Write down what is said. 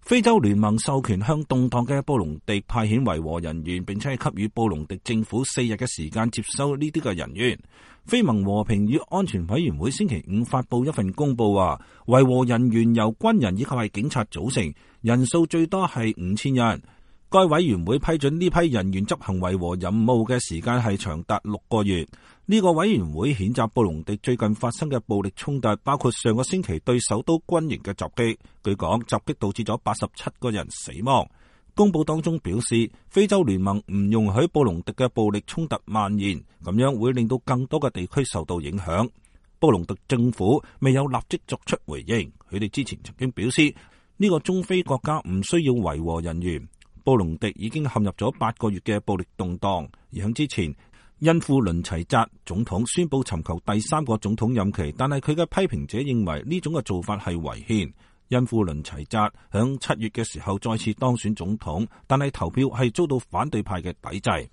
非洲聯盟授權向動盪嘅布隆迪派遣維和人員，並且係給予布隆迪政府4日嘅時間接收呢啲嘅人員。非盟和平與安全委員會星期5發布一份公報話，維和人員由軍人以及係警察組成，人數最多係5000人。該委員會批准呢批人員執行維和任務嘅時間係長達6個月。呢個委員會譴責布隆迪最近發生嘅暴力衝突，包括上個星期對首都軍營嘅襲擊。據講，襲擊導致咗87個人死亡。公報當中表示，非洲聯盟唔容許布隆迪嘅暴力衝突蔓延，咁樣會令到更多嘅地區受到影響。布隆迪政府未有立即作出回應，佢哋之前曾經表示呢個中非國家唔需要維和人員。布隆迪已經陷入咗8個月嘅暴力動盪，而喺之前，恩庫倫齊扎總統宣布尋求第3個總統任期，但係佢嘅批評者認為呢種嘅做法係違憲。恩庫倫齊扎響7月嘅時候再次當選總統，但係投票係遭到反對派嘅抵制。